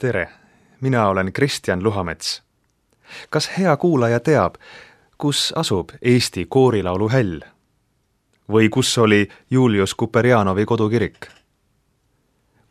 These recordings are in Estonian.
Tere, mina olen Kristjan Luhamets. Kas hea kuulaja teab, kus asub Eesti koorilaulu häll? Või kus oli Julius Kuperjanovi kodukirik?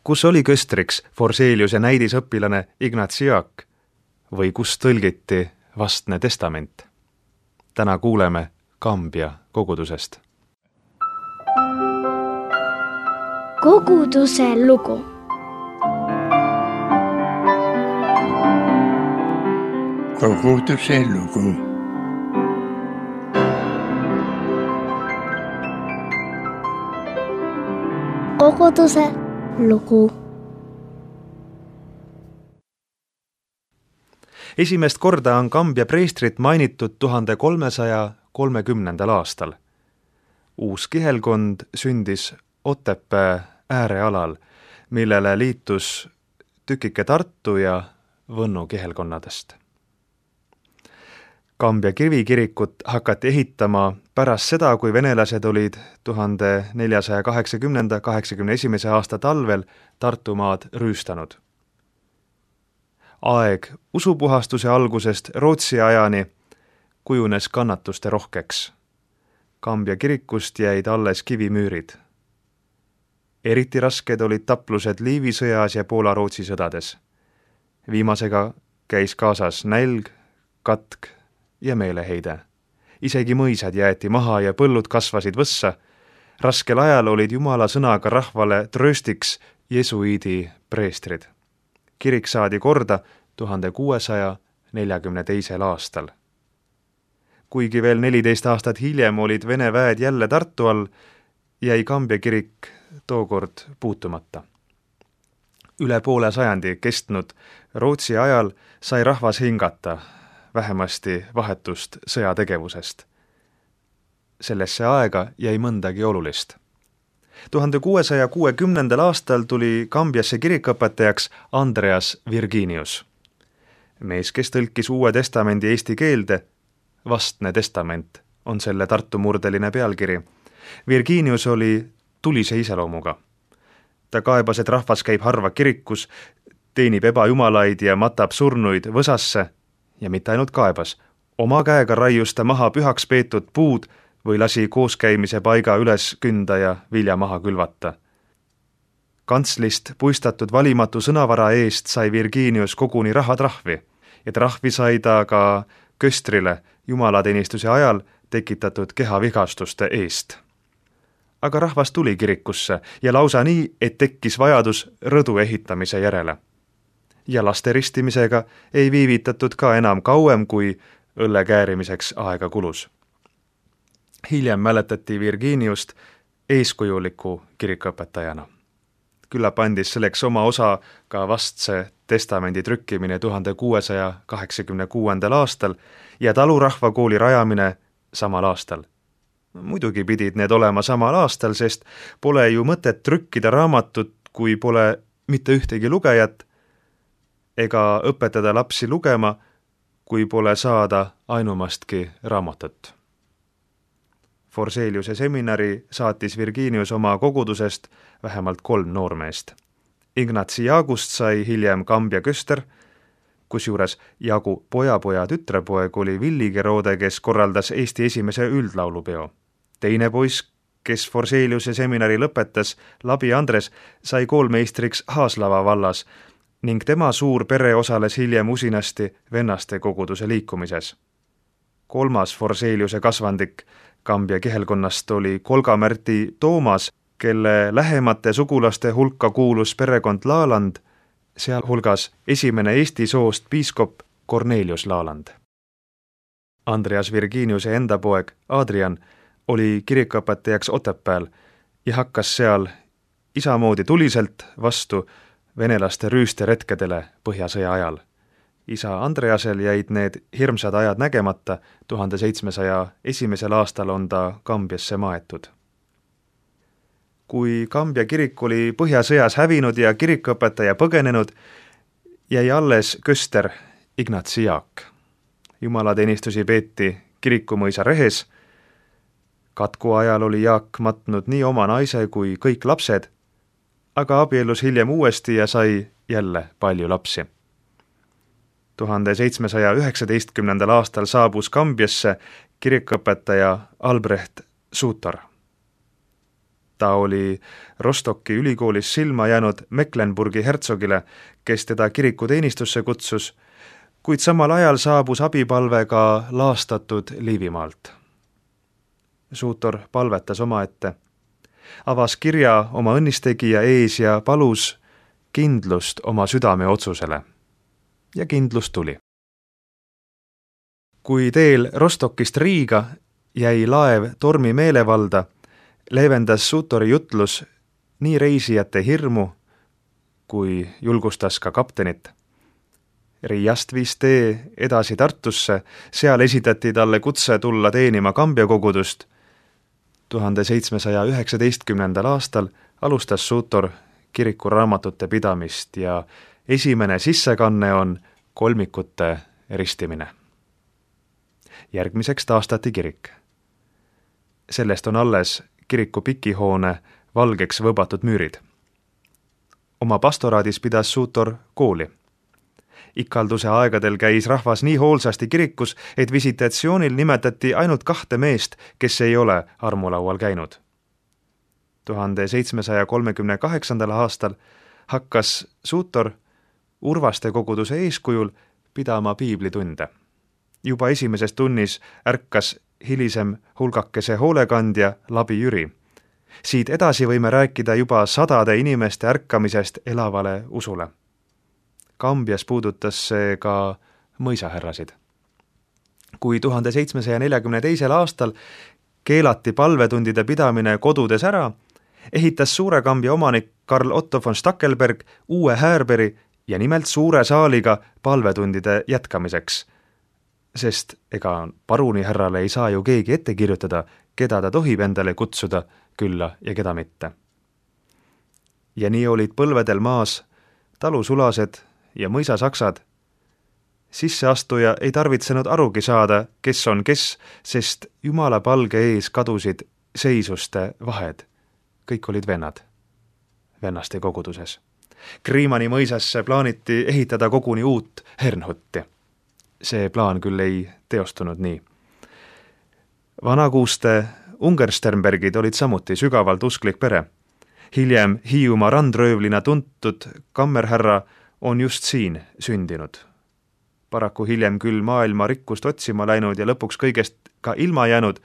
Kus oli köstriks Forseliuse näidisõpilane Ignatsi Jaak? Või kus tõlgiti Vastne testament? Täna kuuleme Kambja kogudusest. Koguduse lugu. Koguduse lugu. Koguduse lugu. Esimest korda on Kambja preestrit mainitud 1330. aastal. Uus kihelkond sündis Otepää äärealal, millele liitus tükike Tartu ja Võnnu kihelkonnadest. Kambja kivikirikut hakati ehitama pärast seda, kui venelased olid 1480-81. aasta talvel Tartumaad rüüstanud. Aeg usupuhastuse algusest Rootsi ajani kujunes kannatuste rohkeks. Kambja kirikust jäid alles kivimüürid. Eriti rasked olid taplused Liivi sõjas ja Poola-Rootsi sõdades. Viimasega käis kaasas nälg, katk ja meeleheide. Isegi mõisad jäeti maha ja põllud kasvasid võssa. Raskel ajal olid Jumala sõnaga rahvale trööstiks jesuiidi preestrid. Kirik saadi korda 1642. aastal. Kuigi veel 14 aastat hiljem olid Vene väed jälle Tartu all, jäi Kambja kirik tookord puutumata. Üle poole sajandi kestnud Rootsi ajal sai rahvas hingata, vähemasti vahetust sõjategevusest. Sellesse aega jäi mõndagi olulist. 1660. aastal tuli Kambjasse kirikõpetajaks Andreas Virginius. Mees, kes tõlkis Uue testamendi eesti keelde, Vastne testament on selle Tartu murdeline pealkiri. Virginius oli tulise iseloomuga. Ta kaebas, et rahvas käib harva kirikus, teenib ebajumalaid ja matab surnuid võsasse ja mitte ainult kaebas. Oma käega raius ta maha pühaks peetud puud või lasi kooskäimise paiga üles künda ja vilja maha külvata. Kantslist puistatud valimatu sõnavara eest sai Virginius koguni rahatrahvi ja trahvi sai ta ka köstrile jumalateenistuse ajal tekitatud kehavigastuste eest. Aga rahvas tuli kirikusse ja lausa nii, et tekkis vajadus rõdu ehitamise järele. Ja laste ristimisega ei viivitatud ka enam kauem, kui õlle käärimiseks aega kulus. Hiljem mäletati Virginiust eeskujuliku kirikuõpetajana. Küllap andis selleks oma osa ka Vastse testamendi trükkimine 1686. aastal ja talurahvakooli rajamine samal aastal. Muidugi pidid need olema samal aastal, sest pole ju mõtet trükkida raamatut, kui pole mitte ühtegi lugejat, ega õpetada lapsi lugema, kui pole saada ainumastki raamatut. Forseliuse seminari saatis Virginius oma kogudusest vähemalt 3 noormeest. Ignatsi Jaagust sai hiljem Kambja köster, kusjuures Jaagu pojapoja tütrepoeg oli Villi Gerode, kes korraldas Eesti esimese üldlaulupeo. Teine poiss, kes Forseliuse seminari lõpetas, Labi Andres, sai koolmeistriks Haaslava vallas ning tema suur pere osales hiljem usinasti vennaste koguduse liikumises. 3. Forseliuse kasvandik Kambja kihelkonnast oli Kolga-Märti Toomas, kelle lähemate sugulaste hulka kuulus perekond Laaland, sealhulgas esimene Eesti soost piiskop Cornelius Laaland. Andreas Virginiuse enda poeg Adrian oli kirikuõpetajaks Otepääl ja hakkas seal isamoodi tuliselt vastu venelaste rüüsteretkedele Põhjasõja ajal. Isa Andreasel jäid need hirmsad ajad nägemata, 1701. aastal on ta Kambjasse maetud. Kui Kambja kirik oli Põhjasõjas hävinud ja kirikuõpetaja põgenenud, jäi alles köster Ignatsi Jaak. Jumalateenistusi peeti kirikumõisa rehes. Katku ajal oli Jaak matnud nii oma naise kui kõik lapsed, aga abiellus hiljem uuesti ja sai jälle palju lapsi. 1719. aastal saabus Kambjasse kirikuõpetaja Albrecht Sutor. Ta oli Rostocki ülikoolis silma jäänud Mecklenburgi hertsogile, kes teda kirikuteenistusse kutsus, kuid samal ajal saabus abipalve ka laastatud Liivimaalt. Sutor palvetas omaette, avas kirja oma õnnistegija ees ja palus kindlust oma südame otsusele. Ja kindlus tuli. Kui teel Rostockist Riiga jäi laev tormi meelevalda, leevendas Sutori jutlus nii reisijate hirmu, kui julgustas ka kaptenit. Riiast viis tee edasi Tartusse, seal esitati talle kutse tulla teenima Kambja kogudust. 1719. aastal alustas Sutor kirikuraamatute pidamist ja esimene sissekanne on kolmikute ristimine. Järgmiseks taastati kirik. Sellest on alles kiriku pikihoone valgeks võbatud müürid. Oma pastoraadis pidas Sutor kooli. Ikalduse aegadel käis rahvas nii hoolsasti kirikus, et visitatsioonil nimetati ainult 2 meest, kes ei ole armulaual käinud. 1738. aastal hakkas Sutor Urvaste koguduse eeskujul pidama piiblitunde. Juba esimeses tunnis ärkas hilisem hulgakese hoolekandja Labi Jüri. Siit edasi võime rääkida juba 100 inimeste ärkamisest elavale usule. Kambjas puudutas see ka mõisahärrasid. Kui 1742. aastal keelati palvetundide pidamine kodudes ära, ehitas Suure Kambja omanik Karl Otto von Stackelberg uue Häärberi ja nimelt suure saaliga palvetundide jätkamiseks, sest ega parunihärrale ei saa ju keegi ette kirjutada, keda ta tohib endale kutsuda külla ja keda mitte. Ja nii olid põlvedel maas talusulased ja mõisasaksad. Sisseastuja ei tarvitsenud arugi saada, kes on kes, sest Jumala palge ees kadusid seisuste vahed. Kõik olid vennad, vennaste koguduses. Kriimani mõisasse plaaniti ehitada koguni uut Hernhutti. See plaan küll ei teostunud nii. Vanakuuste Ungersternbergid olid samuti sügavalt usklik pere. Hiljem Hiiumaa randröövlina tuntud kammerhärra on just siin sündinud. Paraku hiljem küll maailma rikkust otsima läinud ja lõpuks kõigest ka ilma jäänud,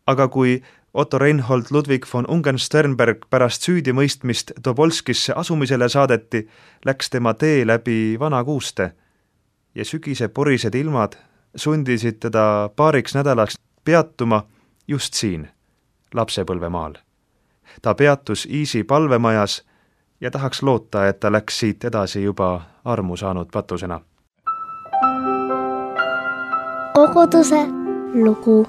aga kui Otto Reinhold Ludwig von Ungern-Sternberg pärast süüdimõistmist Tobolskisse asumisele saadeti, läks tema tee läbi Vanakuuste ja sügise porised ilmad sundisid teda paariks nädalaks peatuma just siin, lapsepõlvemaal. Ta peatus Iisi palvemajas ja tahaks loota, et ta läks siit edasi juba armu saanud patusena. Koguduse lugu.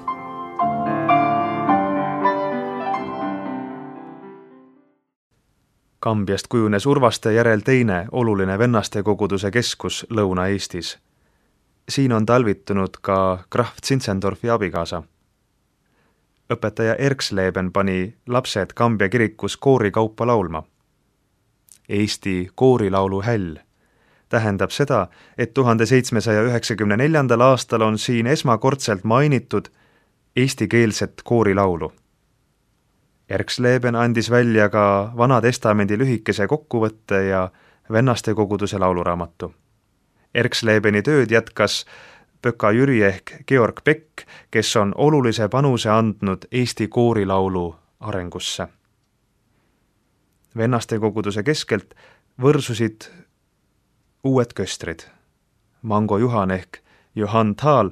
Kambjast kujunes Urvaste järel teine oluline vennaste koguduse keskus Lõuna-Eestis. Siin on talvitunud ka Graf Zinzendorfi abikaasa. Õpetaja Erksleben pani lapsed Kambja kirikus koorikaupa laulma. Eesti koorilaulu häll tähendab seda, et 1794. aastal on siin esmakordselt mainitud eestikeelset koorilaulu. Erksleben andis välja ka Vana Testamendi lühikese kokkuvõtte ja vennaste koguduse lauluraamatu. Erkslebeni tööd jätkas Pöka Jüri ehk Georg Beck, kes on olulise panuse andnud Eesti koorilaulu arengusse. Vennaste koguduse keskelt võrsusid uued köstrid. Mango Juhan ehk Johann Thal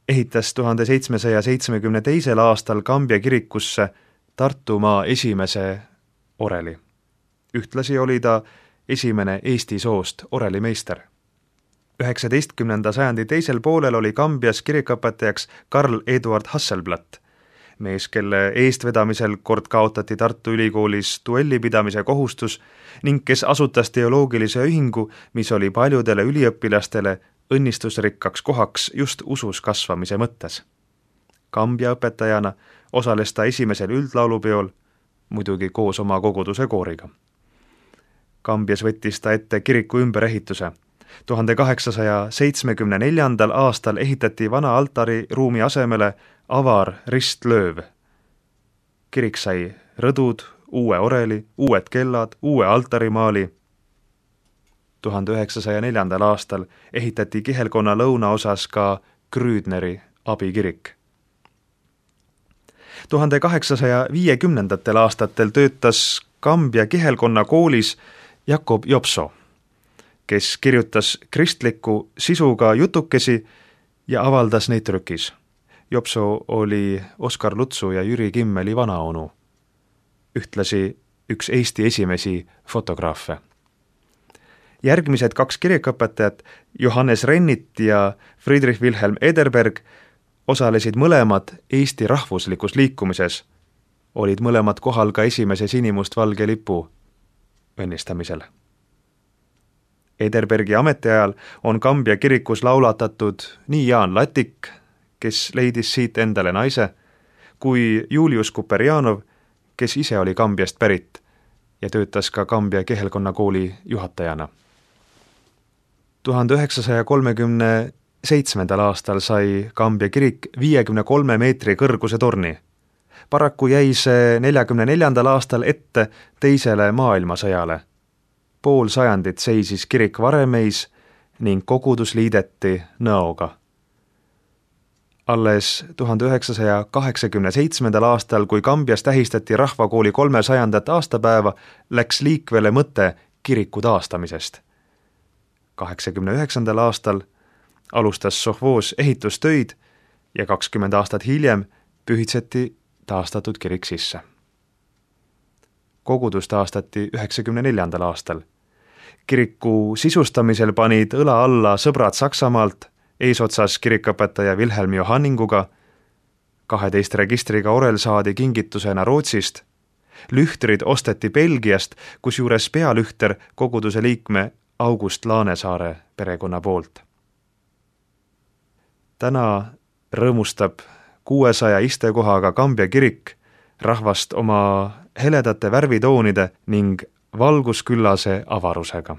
ehitas 1772. aastal Kambja kirikusse Tartumaa esimese oreli. Ühtlasi oli ta esimene Eesti soost orelimeister. 19. sajandi teisel poolel oli Kambjas kirikuõpetajaks Karl Eduard Hasselblatt, mees, kelle eestvedamisel kord kaotati Tartu Ülikoolis duelli pidamise kohustus ning kes asutas teoloogilise ühingu, mis oli paljudele üliõpilastele õnnistusrikkaks kohaks just usus kasvamise mõttes. Kambja õpetajana osales ta esimesel üldlaulupeol, muidugi koos oma koguduse kooriga. Kambjas võttis ta ette kiriku ümberehituse. 1874. aastal ehitati vana altariruumi asemele avar ristlööv. Kirik sai rõdud, uue oreli, uued kellad, uue altarimaali. 1904. aastal ehitati kihelkonna lõunaosas ka Krüüdneri abikirik. 1850. aastatel töötas Kambja kihelkonna koolis Jakob Jopso, kes kirjutas kristliku sisuga jutukesi ja avaldas neid trükis. Jopso oli Oskar Lutsu ja Jüri Kimmeli vanaonu, ühtlasi üks Eesti esimesi fotograafe. Järgmised 2 kirikuõpetajat, Johannes Rennit ja Friedrich Wilhelm Ederberg, osalesid mõlemad Eesti rahvuslikus liikumises, olid mõlemad kohal ka esimese sinimustvalge lipu õnnistamisel. Ederbergi ametiajal on Kambja kirikus laulatatud nii Jaan Latik, kes leidis siit endale naise, kui Julius Kuperjanov, kes ise oli Kambjast pärit ja töötas ka Kambja kihelkonna kooli juhatajana. 1937. aastal sai Kambja kirik 53 meetri kõrguse torni. Paraku jäi see 44. aastal ette teisele maailmasõjale. Pool sajandit seisis kirik varemeis ning kogudus liideti Nõoga. Alles 1987. aastal, kui Kambjas tähistati rahvakooli 300. aastapäeva, läks liikvele mõte kiriku taastamisest. 89. aastal alustas sovhoos ehitustöid ja 20 aastat hiljem pühitseti taastatud kirik sisse. Kogudus taastati 94. aastal. Kiriku sisustamisel panid õla alla sõbrad Saksamaalt, eesotsas kirikuõpetaja Wilhelm Johanninguga, 12 registriga orel saadi kingitusena Rootsist, lühtrid osteti Belgiast, kusjuures pealühter koguduse liikme August Laanesaare perekonna poolt. Täna rõõmustab 600 istekohaga Kambja kirik rahvast oma heledate värvitoonide ning valgusküllase avarusega.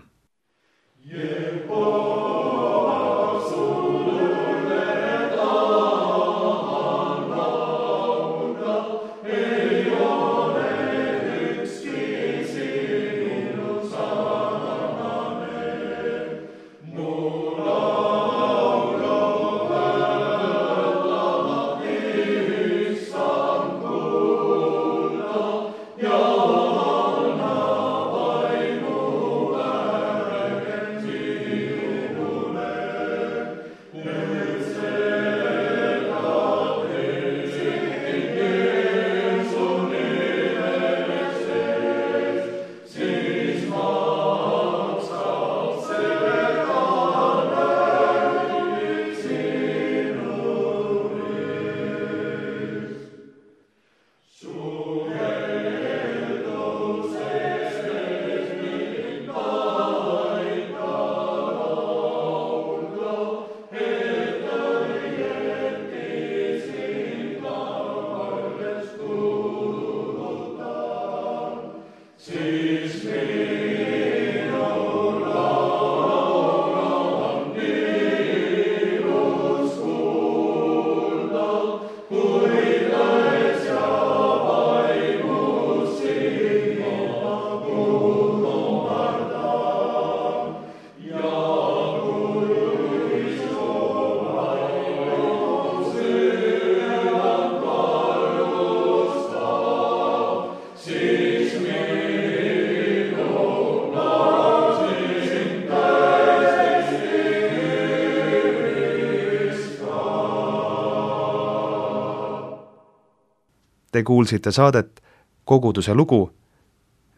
Te kuulsite saadet Koguduse lugu.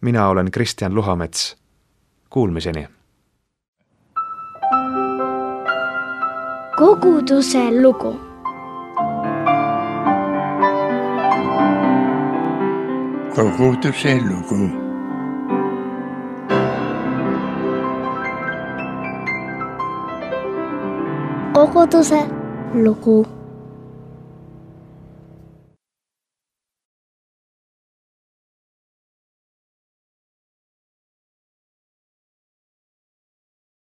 Mina olen Kristjan Luhamets. Kuulmiseni. Koguduse lugu. Koguduse lugu. Koguduse lugu.